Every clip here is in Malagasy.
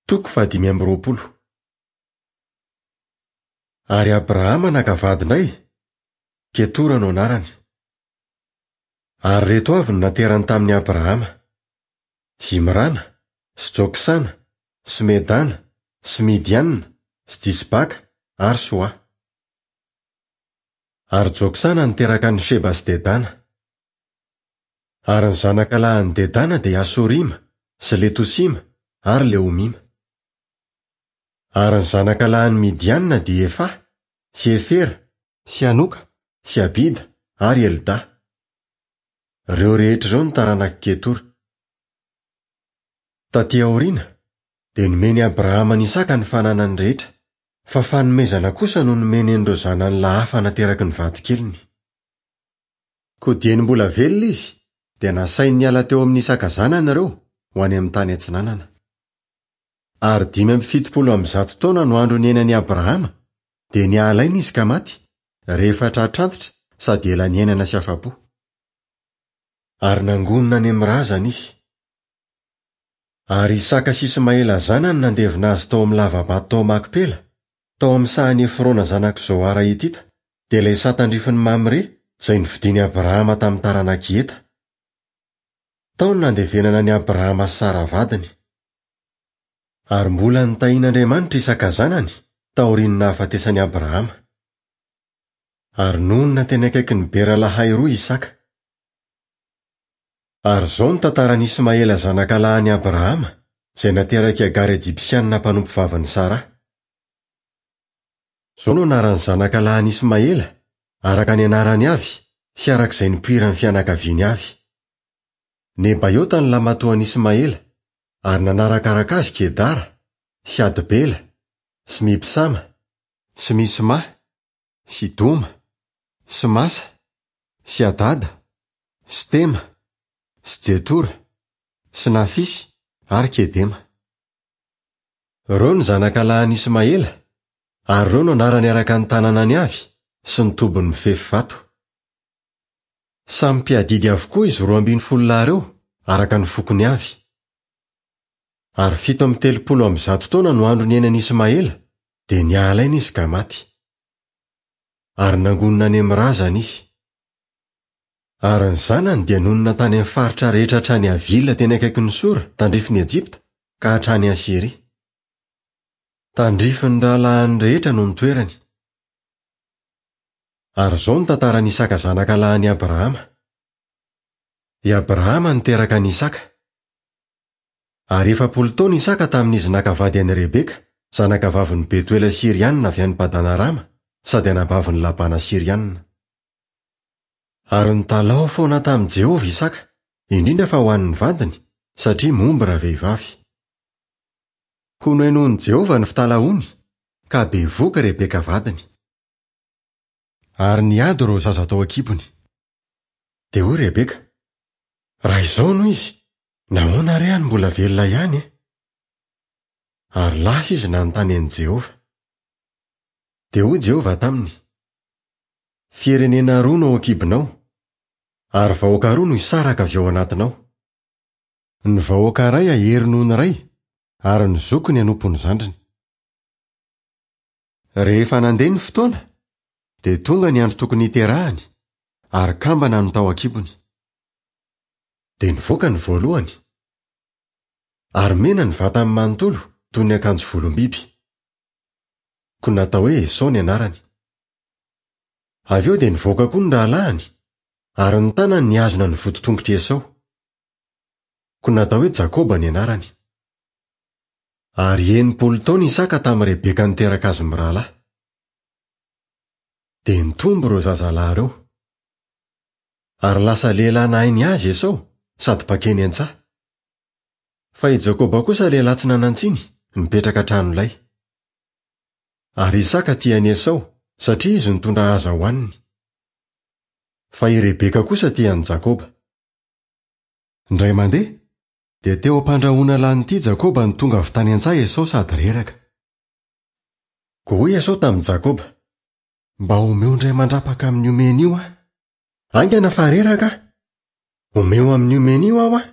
Toko fahadimy amby 20. Ary Abrahama naka vady indray, Ketora no anarany. Ary ireto avy no naterany tamin'i Abrahama, Zimrana, sy Joksana, sy Medana, sy Midiana, sy Jisbaka ary Soa. Ary Joksana niteraka an'i Sheba sy Dedana. Ary ny zanaka lahin'i Dedana dia Asorima, sy Letosima, ary Leomima. Ary ny zanaka lahin'i Midiana dia Efa, sy Efera, sy Hanoka, sy Abida, ary Elda. Ireo rehetra ireo no taranak'i Ketora. Tatỳ aoriana, dia nomen'i Abrahama an'i Isaka ny fananany rehetra, fa fanomezana kosa no nomeny an'ireo zanany lahy hafa nateraky ny vadikeliny. Koa dieny mbola velona izy, dia nasainy niala teo amin'i Isaka zanany ireo, ho any amin'ny tany atsinanana. Ary 175 taona no andro niainan'i Abrahama, dia niala aina izy ka maty, rehefa tratrantitra sady ela niainana sy afa-po. Ary nangonina any amin'ny razany izy. Ary Isaka sy Ismaela zanany nandevina azy tao amin'ny lava-bato tao Makpela, tao amin'ny sahan'i Efrona zanak'i Zohara Hitita, dia ilay saha tandrifin'i Mamre, izay novidin'i Abrahama tamin'ny taranak'i Heta. Tao no nandevenana an'i Abrahama sy Sara vadiny. Ary mbola notahian'Andriamanitra Isaka zanany, taorian'ny nahafatesan'i Abrahama. Ary nonina teny akaikin'i Bera-lahai-roa Isaka. Ary izao no tantaran'i Ismaela zanakalahin'i Abrahama, izay naterak'i Hagara Ejipsianina mpanompovavin'i Saraha. Izao no anaran'ny zanakalahin'i Ismaela, araka ny anarany avy sy araka izay nipoiran'ny fianakaviany avy. Nebaiota ny lahimatoan'i Ismaela, ary nanarakaraka azy Kedara, sy Adbela, sy Mibsama, sy Misma, sy Doma, sy Masa, sy Hadada, sy Tema, sy Jetora, sy Nafisy ary Kedema. Ireo no zanakalahin'i Ismaela, ary ireo no anarany araka ny tanànany avy sy ny tobiny mifefy vato. Samy mpiadidy avokoa izy 12 lahy ireo, araka ny fokony avy. Ary 137 taona no andro niainan'i Ismaela, dia niala aina izy ka maty. Ary nangonina any amin'ny razany izy. Ary ny zanany dia nonina tany amin'ny faritra rehetra hatrany Havila teny akaikin'i Sora, tandrifin'i Ejipta, ka hatrany Asyria. Tandrifin'ny rahalahiny rehetra no nitoerany. Ary izao no tantaran'i Isaka zanaka lahin'i Abrahama. I Abrahama niteraka an'i Isaka. Ary 40 taona Isaka tamin'izy naka vady an'i Rebeka, zanakavavin'i Betoela Syrianina avy any Padan-arama, sady anabavin'i Labana Syrianina. Ary nitalaho foana tamin'i Jehovah Isaka, indrindra fa ho an'ny vadiny, satria momba ravehivavy. Koa nohenoin'i Jehovah ny fitalahoany, ka bevohoka Rebeka vadiny. Ary niady ireo zaza tao an-kibony. Dia hoy Rebeka, Raha izao no izy, nahoana re aho no mbola velona ihany e? Ary lasa izy nanontany an'i Jehovah. Dia hoy Jehovah taminy, Firenena roa no ao an-kibonao, ary vahoaka roa no hisaraka avy ao anatinao. Ny vahoaka iray hahery noho ny iray, ary ny zokiny hanompo ny zandriny. Rehefa nandeha ny fotoana, dia tonga ny andro tokony hiterahany, ary kambana no tao an-kibony. Dia nivoaka ny voalohany, ary mena ny vatany manontolo toy ny akanjo volom-biby. Koa natao hoe Esao ny anarany. Avy eo dia nivoaka koa ny rahalahiny, ary ny tanany nihazona ny voditongotr'i Esao. Koa natao hoe Jakoba ny anarany. Ary 60 taona Isaka tamin'i Rebeka niteraka azy mirahalahy. Dia nitombo ireo zazalahy ireo. Ary lasa lehilahy nahay nihaza Esao sady mpankeny an-tsaha. Fa i Jakoba kosa lehilahy tsy nanan-tsiny, nipetraka an-tranolay. Ary Isaka tia an'i Esao, satria izy nitondra haza hohaniny. Fa i Rebeka kosa tia an'i Jakoba. Indray mandeha, dia teo am-pandrahoana lan'ity Jakoba no tonga avy tany an-tsaha Esao sady reraka. Koa hoy Esao tamin'i Jakoba, Mba omeo indray mandrapaka amin'io mena io aho. Haingana fa reraka aho. Omeo amin'io mena io aho aho.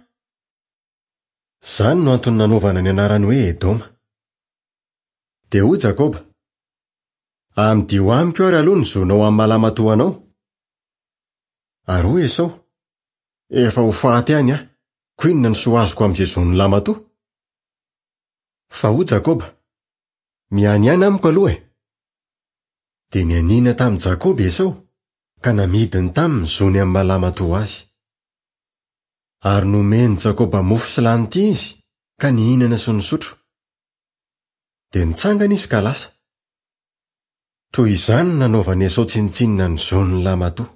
Izany no antony nanaovana ny anarany hoe Edoma. Dia hoy Jakoba, Amidio amiko ary aloha ny zonao amin'ny maha lamatoa anao. Ary hoy Esao, Efa ho faty any aho, koa inona no soa azoko amin'izay zon'ny lamatoa? Fa hoy Jakoba, Mianiàna amiko aloha e! Dia nianiana tamin'i Jakoba i Esao, ka namidiny taminy ny zony amin'ny maha lamatoa azy. Ary nomen'i Jakoba mofo sy lanity izy, ka nihinana sy nisotro. Dia nitsangana izy ka lasa. Toy izany no nanaovan'i Esao tsinontsinona ny zon'ny lamatoa.